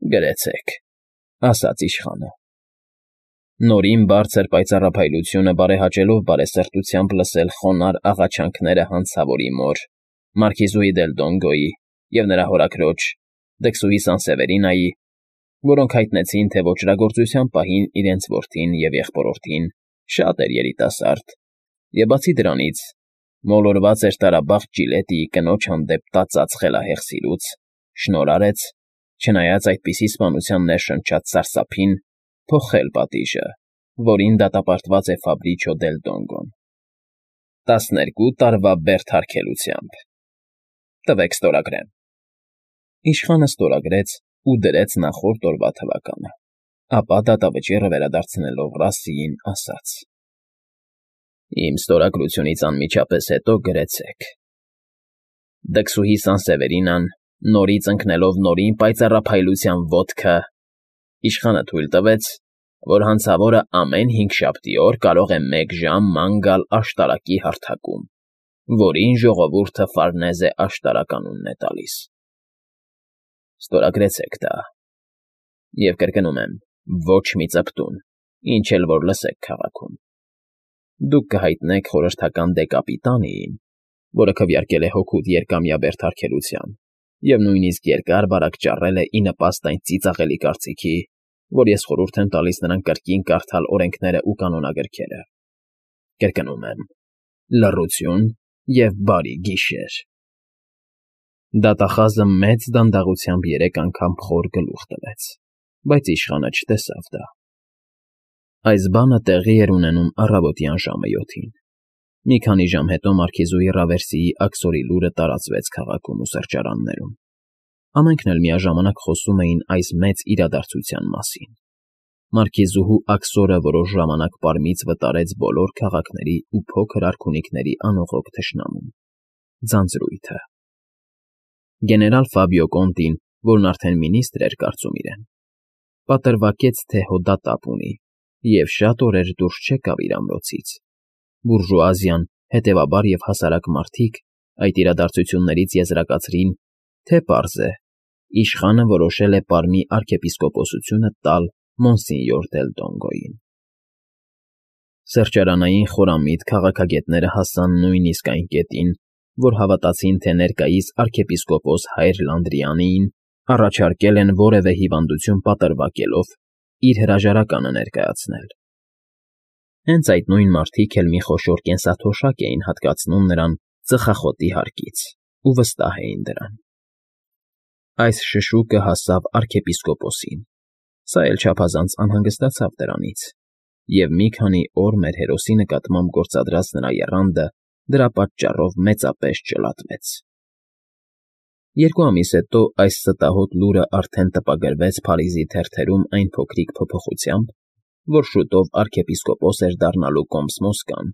Գրեցեք, ասաց իշխանը։ Նորին բարձր պայծառափայլությունը բարեհաճելով բարեսրտությամբ լսել խոնարհ աղաչանքները հանցավորի մոր, մարքիզուհի դել Դոնգոյի և նրա հորաքրոջ, դքսուհի Սանսևերինայի, որոնք հայտնեցին, թե ոճրագործության պահին իրենց որդին և եղբորորդին շատ էր երիտասարդ, և բացի դրանից, մոլորված էր տարաբաղ Ջիլետիի կնոջ հանդեպ տածած խելահեղ սիրուց, շնորհ արեց, չնայած այդպիսի սպանության ներշնչած սարսափին, փոխել պատիժը, որին դատապարտված է Ֆաբրիչո դել Դոնգոն 12 տարվա բերդարգելությամբ։ Տվեք ստորագրեմ։ Իշխանը ստորագրեց ու դրեց նախորդ օրվա թվականը, ապա դատավճիռը վերադարձնելով Ռասիին ասաց. Իմ ստորագրությունից անմիջապես հետո գրեցեք. Դքսուհի Սանսևերինան, նորից ընկնելով նորին պայծառափայլության ոտքը, իշխանը թույլ տվեց, որ հանցավորը ամեն հինգշաբթի օր կարող է 1 ժամ ման գալ աշտարակի հարթակում, որին ժողովուրդը Ֆարնեզե աշտարակ անունն է տալիս։ Ստորագրեցեք դա։ Եվ կրկնում եմ, ոչ մի ծպտուն, ինչ էլ որ լսեք քաղաքում։ Դուք կհայտնեք խորհրդական դեկապիտանիին, որը քվեարկել է հօգուտ երկամյա բերդարգելության և նույնիսկ երկար բարակ ճառել է ի նպաստ այն ծիծաղելի կարծիքի, որ ես խորհուրդ եմ տալիս նրան կրկին կարդալ օրենքներն ու կանոնագրքերը։ Կրկնում եմ, լռություն և բարի գիշեր։ Դատախազը մեծ դանդաղությամբ 3 անգամ խոր գլուխ տվեց, բայց իշխանը չտեսավ դա։ Այս բանը տեղի էր ունենում առավոտյան ժամը 7-ին։ Մի քանի ժամ հետո մարքիզուհի Ռավերսիի աքսորի լուրը տարածվեց քաղաքում ու սրճարաններում։ Ամենքն էլ միաժամանակ խոսում էին այս մեծ իրադարձության մասին։ Մարքիզուհու աքսորը որոշ ժամանակ պարմից վտարեց բոլոր քաղաքների ու փոքր արքունիքների անողոք թշնամուն՝ ձանձրույթը։ Գեներալ Ֆաբիո Կոնտին, որն արդեն մինիստր էր կարծում իրեն, պատրվակեց, թե հոդատապ ունի և շատ օրեր դուրս չեկավ իր ամրոցից։ Բուրժուազիան, հետևաբար և հասարակ մարդիկ այդ իրադարձություններից եզրակացրին, թե պարզ է, իշխանը որոշել է Պարմի արքեպիսկոպոսությունը տալ Մոնսինյոր դել Դոնգոյին։ Սրճարանային խորամիտ քաղաքագետները հասան նույնիսկ այն կետին, որ հավատացին, թե ներկայիս արքեպիսկոպոս Հայր Լանդրիանին առաջարկել են որևէ հիվանդություն պատրվակելով իր հրաժարականը ներկայացնել։ Հենց այդ նույն մարդիկ էլ մի խոշոր կենսաթոշակ էին հատկացնում նրան ծխախոտի հարկից ու վստահ էին դրան։ Այս շշուկը հասավ արքեպիսկոպոսին, սա էլ չափազանց անհանգստացավ դրանից, և մի քանի օր մեր հերոսի նկատմամբ գործադրած նրա եռանդը դրա պատճառով մեծապես ճլատվեց։ 2 ամիս հետո այս ստահոդ լուրը արդեն տպագրվեց Փարիզի թերթերում այն փոքրիկ փոփոխությամբ, որ շուտով արքեպիսկոպոս էր դառնալու Կոմս֊Մոսկան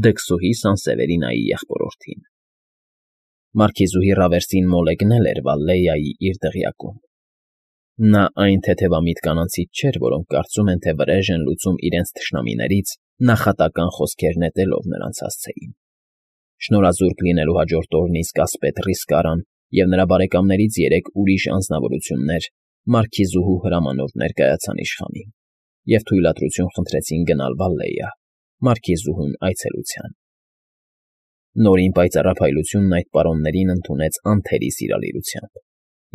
Դքսուհի Սանսևերինայի եղբորորդին։ Մարքիզուհի Ռավերսին մոլեգնել էր Վալլեյայի իր դղյակում։ Նա այն թեթևամիտ կանանցից չէր, որոնք կարծում են, թե վրեժ են լուծում իրենց թշնամիներից նախատական խոսքեր նետելով նրանց հասցեին։ Շնորհազուրկ լինելու հաջորդ օրն իսկ ասպետ Ռիսկարան և նրա բարեկամներից 3 ուրիշ անձնավորություններ մարքիզուհու հրամանով ներկայացան իշխանին և թույլատրություն խնդրեցին գնալ Վալլեյա, մարքիզուհուն այցելության։ Նորին պայծառափայլությունն այդ պարոններին ընդունեց անթերի սիրալիրությամբ,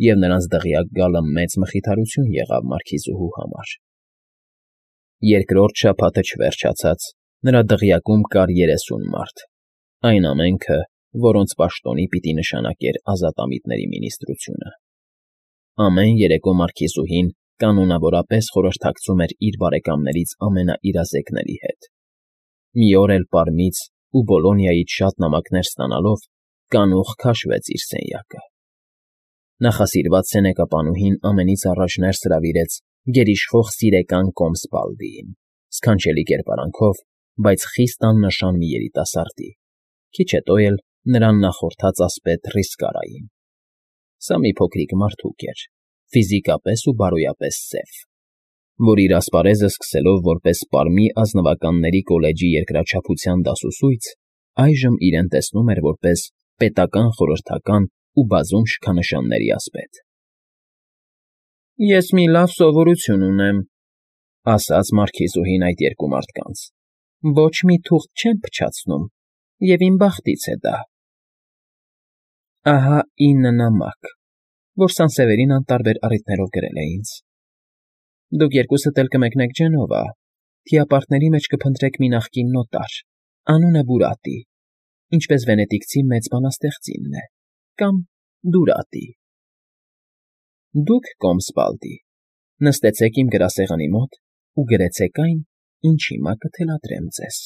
և նրանց դղյակ գալը մեծ մխիթարություն եղավ մարքիզուհու համար։ Երկրորդ շաբաթը չվերջացած նրա դղյակում կար 30 մարդ, այն ամենքը, որոնց պաշտոնի պիտի նշանակեր ազատամիտների մինիստրությունը։ Ամեն երեկո մարքիզուհին կանոնավորապես խորհրդակցում էր իր բարեկամներից ամենաիրազեկների հետ։ Մի օր էլ Պարմից ու Բոլոնիայից շատ նամակներ ստանալով կանուխ քաշվեց իր սենյակը։ Նախասիրված սենեկապանուհին ամենից առաջ ներս հրավիրեց գերիշխող սիրեկան Կոմս Բալդիին, սքանչելի կերպարանքով, բայց խիստ աննշան մի երիտասարդի, քիչ հետո էլ նրան նախորդած ասպետ Ռիսկարային։ Սա մի փոքրիկ մարդուկ էր, ֆիզիկապես ու բարոյապես սև, որ իր ասպարեզը սկսելով որպես Պարմի ազնվականների կոլեջի երկրաչափության դասուսույց, այժմ իրեն տեսնում էր որպես պետական խորհրդական ու բազում շքանշանների ասպետ։ Ես մի լավ սովորություն ունեմ,֊ ասաց մարքիզուհին այդ երկու մարդկանց. ոչ մի թուղթ չեմ փչացնում, և իմ բախտից է դա… Ահա 9 նամակ, որ Սանսևերին անտարբեր առիթներով գրել է ինձ. դուք երկուսդ էլ կմեկնեք Ջենովա, թիապարկների մեջ կփնտրեք մի նախկին նոտար, անունը Բուրատի, ինչպես վենետիկցի մեծ բանաստեղծինն է, կամ Դուրատի. դուք, կոմսպալդի, նստեցեք իմ գրասեղանի մոտ ու գրեցեք այն, ինչ հիմա կթելադրեմ ձեզ…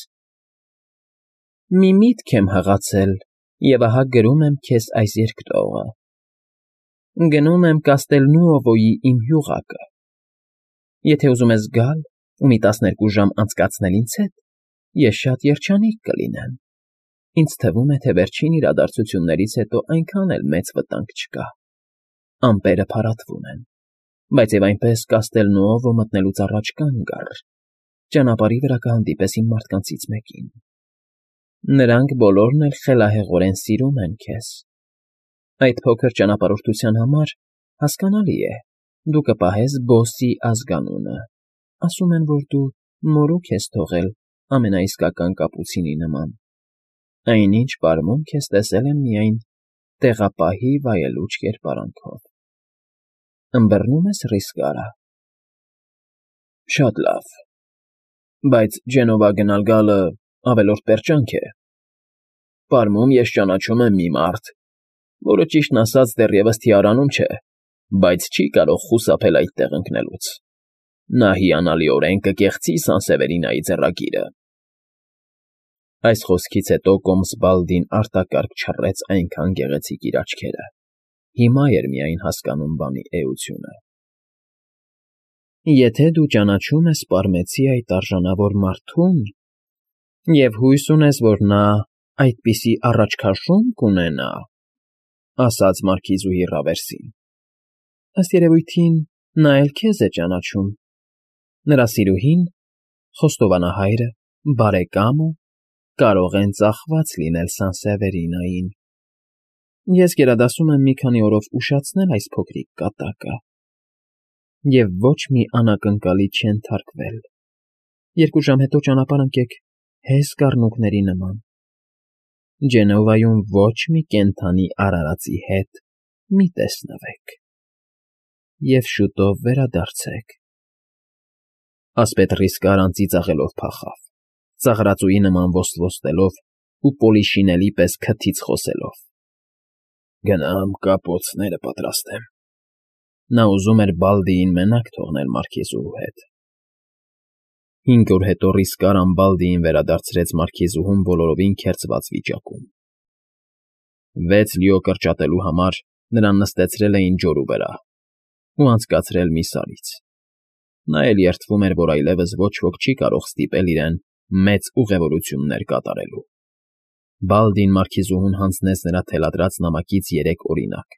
Մի միտք եմ հղացել, և ահա գրում եմ քեզ այս երկտողը. գնում եմ Կաստելնուովոյի իմ հյուղակը… Եթե ուզում ես գալ ու մի 12 ժամ անցկացնել ինձ հետ, ես շատ երջանիկ կլինեմ… Ինձ թվում է, թե վերջին իրադարձություններից հետո այնքան էլ մեծ վտանգ չկա… Ամպերը փարատվում են, բայց և այնպես Կաստելնուովո մտնելուց առաջ կանգ առ… Ճանապարհի վրա կհանդիպես իմ մարդկանցից մեկին… Նրանք բոլորն էլ խելահեղորեն սիրում են քեզ… Այդ փոքր ճանապարհորդության համար, հասկանալի է, դու կպահես բոսի ազգանունը… Ասում են, որ դու մորուք ես թողել ամենաիսկական կապուցինի նման… Այնինչ պարմունք ես տեսել եմ միայն տեղապահի վայելուչ կերպարանքով… Ըմբռնո՞ւմ ես Ռիսկարա… Շատ լավ… Բայց Ջենովա գնալ֊գալը ավելորդ պերճանք է… Պարմում ես ճանաչում եմ մի մարդ, որը, ճիշտն ասած, դեռևս թիարանում չէ, բայց չի կարող խուսափել այդտեղ ընկնելուց… Նա հիանալիորեն կկեղծի Սանսևերինայի ձեռագիրը… Այս խոսքից հետո կոմսպալդին արտակարգ չռեց այնքան գեղեցիկ իր աչքերը… Հիմա էր միայն հասկանում բանի էությունը… Եթե դու ճանաչում ես պարմեցի այդ արժանավոր մարդուն և հույս ունես, որ նա այդպիսի առաջքաշունչ կունենա,֊ ասաց մարքիզուհի Ռավերսին,֊ ըստ երևույթին, նա էլ քեզ է ճանաչում… Նրա սիրուհին, խոստովանահայրը, բարեկամը կարող են ծախված լինել Սանսևերինային… Ես գերադասում եմ մի քանի օրով ուշացնել այս փոքրիկ կատակը… Եվ ոչ մի անակնկալի չենթարկվել… 2 ժամ հետո ճանապարհ ընկեք հեզ կառնուկների նման… Ջենովայում ոչ մի կենդանի արարածի հետ մի տեսնվեք… Եվ շուտով վերադարձեք… Ասպետ Ռիսկարան ծիծաղելով փախավ, ծաղրածուի նման ոսլոստելով ու պոլիշինելի պես քթից խոսելով. Գնամ կապոցները պատրաստեմ… Նա ուզում էր Բալդիին մենակ թողնել մարքիզուհու հետ… 5 օր հետո Ռիսկարան Բալդիին վերադարձրեց մարքիզուհուն բոլորովին քերծված վիճակում… 6 լիո կրճատելու համար նրան նստեցրել էին ջորու վրա ու անցկացրել մի սարից… Նա էլ երդվում էր, որ այլևս ոչ ոք չի կարող ստիպել իրեն մեծ ուղևորություններ կատարելու… Բալդին մարքիզուհուն հանձնեց նրա թելադրած նամակից 3 օրինակ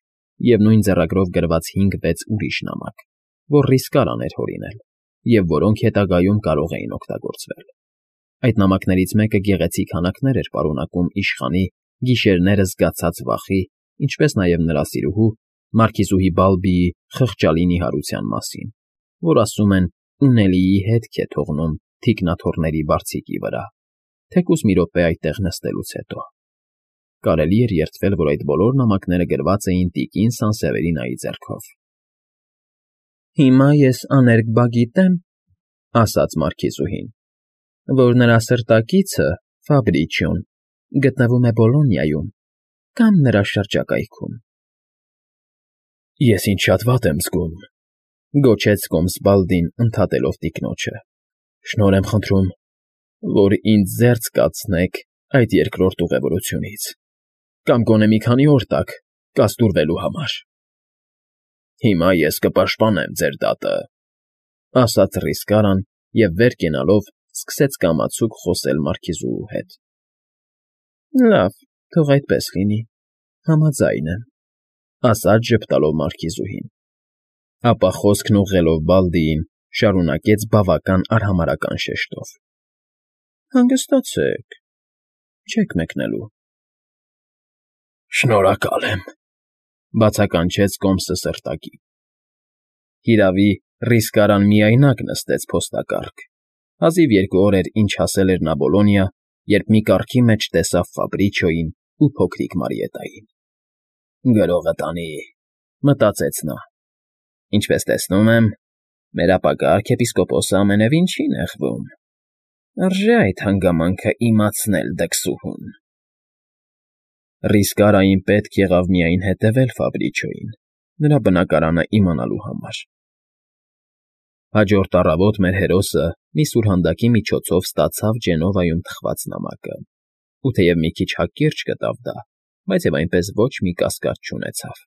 և նույն ձեռագրով գրված 5-6 ուրիշ նամակ, որ Ռիսկարան էր հորինել, և որոնք հետագայում կարող էին օգտագործվել… Այդ նամակներից մեկը գեղեցիկ հանակներ էր պարունակում իշխանի գիշերները զգացած վախի, ինչպես նաև նրա սիրուհու, մարքիզուհի Բալբիի խղճալի նիհարության մասին, որ, ասում են, ունելիի հետք է թողնում թիկնաթոռների բարձիկի վրա, թեկուզ մի րոպե այդտեղ նստելուց հետո… Կարելի էր երդվել, որ այդ բոլոր նամակները գրված էին տիկին Սանսևերինայի ձեռքով… Հիմա ես աներկբա գիտեմ,֊ ասաց մարքիզուհին,֊ որ նրա սրտակիցը՝ Ֆաբրիչոն, գտնվում է Բոլոնիայում կամ նրա շրջակայքում… Ես ինձ շատ վատ եմ զգում,֊ գոչեց կոմսպալդին ընդհատելով տիկնոջը,֊ շնորհ եմ խնդրում, որ ինձ զերծ կացնեք այդ երկրորդ ուղևորությունից կամ գոնե մի քանի օր տաք կազդուրվելու համար… Հիմա ես կպաշտպանեմ ձեր դատը,֊ ասաց Ռիսկարան և վեր կենալով սկսեց կամացուկ խոսել մարքիզուհու հետ… Լավ, թող այդպես լինի, համաձայն եմ,֊ ասաց ժպտալով մարքիզուհին… Ապա խոսքն ուղղելով Բալդիին, շարունակեց բավական արհամարհական շեշտով. Հանգստացեք, չեք մեկնելու… Շնորհակալ եմ,֊ բացականչեց կոմսը սրտակի… Հիրավի, Ռիսկարան միայնակ նստեց փոստակառք, հազիվ 2 օր էր, ինչ հասել էր նա Բոլոնիա, երբ մի կառքի մեջ տեսավ Ֆաբրիչոյին ու փոքրիկ Մարիետային։ «Գրողը տանի», մտածեց նա։ «Ինչպես տեսնում եմ, մեր ապագա arczepiskopos-ը ամենևին չի նեղվում։ Արժե այդ հանգամանքը իմացնել դքսուհուն»։ Ռիսկարային պետք եղավ միայն հետևել Ֆաբրիչոյին, նրա բնակարանը իմանալու համար։ Հաջորդ առավոտ մեր հերոսը մի սուրհանդակի միջոցով ստացավ Ջենովայում թխված նամակը, ու թեև մի քիչ հակիրճ գտավ դա, բայց և այնպես ոչ մի կասկած չունեցավ։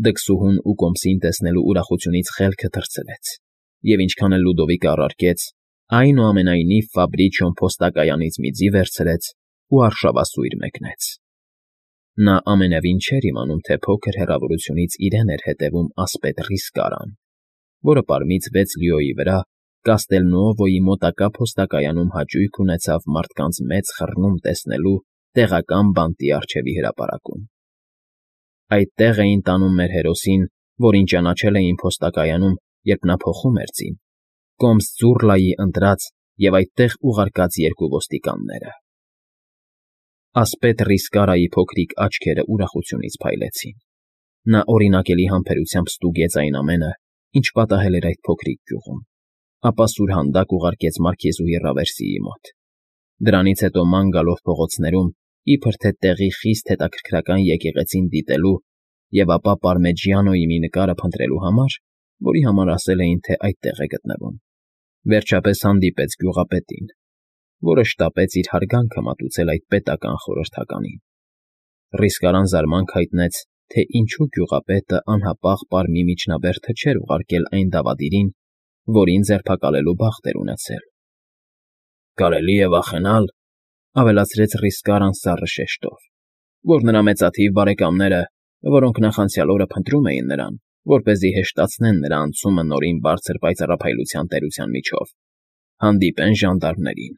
Դքսուհուն ու կոմսին տեսնելու ուրախությունից խելքը թռցրեց, և ինչքան էլ Լյուդովիկը առարկեց, այնուամենայնիվ Ֆաբրիչոն փոստակայանից մի ձի վերցրեց ու արշավասույր մեկնեց։ Նա ամենևին չէր իմանում, թե փոքր հեռավորությունից իրեն էր հետևում ասպետ Ռիսկարան, որը պարմից 6 լյուոյի վրա Կաստելնուովոյի մոտակա փոստակայանում հաճույք ունեցավ մարդկանց մեծ խռնում տեսնելու տեղական բանտի առջևի հրապարակում։ Այդտեղ էին տանում մեր հերոսին, որին ճանաչել էին փոստակայանում, երբ նա փոխում էր ձին, կոմս Ձուռլայի ընտրած և այդտեղ ուղարկած 2 ոստիկանները։ Ասպետ Ռիսկարայի փոքրիկ աչքերը ուրախությունից փայլեցին։ Նա օրինակելի համբերությամբ ստուգեց այն ամենը, ինչ պատահել էր այդ փոքրիկ գյուղում, ապա սուրհանդակ ուղարկեց մարքիզուհի Ռավերսիի մոտ։ Դրանից հետո ման գալով փողոցներում, իբր թե տեղի խիստ հետաքրքրական եկեղեցին դիտելու և ապա Պարմեջիանոյի մի նկարը փնտրելու համար, որի համար ասել էին, թե այդտեղ է գտնվում, վերջապես հանդիպեց գյուղապետին, որը շտապեց իր հարգանքը մատուցել այդ պետական խորհրդականին։ Ռիսկարան զարմանք հայտնեց, թե ինչու գյուղապետը անհապաղ պարմի միջնաբերդը չէր ուղարկել այն դավադիրին, որին ձերբակալելու բախտ էր ունեցել։ «Կարելի է վախենալ,֊ ավելացրեց Ռիսկարան սառը շեշտով,֊ որ նրա մեծաթիվ բարեկամները, որոնք նախանցյալ օրը փնտրում էին նրան, որպեսզի հեշտացնեն նրա անցումը Նորին Բարձր պայծառափայլության տերության միջով, հանդիպեն ժանդարմներին։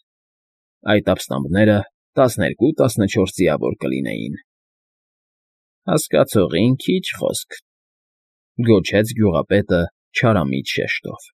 Այդ ապստամբները 12-14 ձիավոր կլինեին»։ «Հասկացողին քիչ խոսք,֊ գոչեց գյուղապետը չարամիտ շեշտով։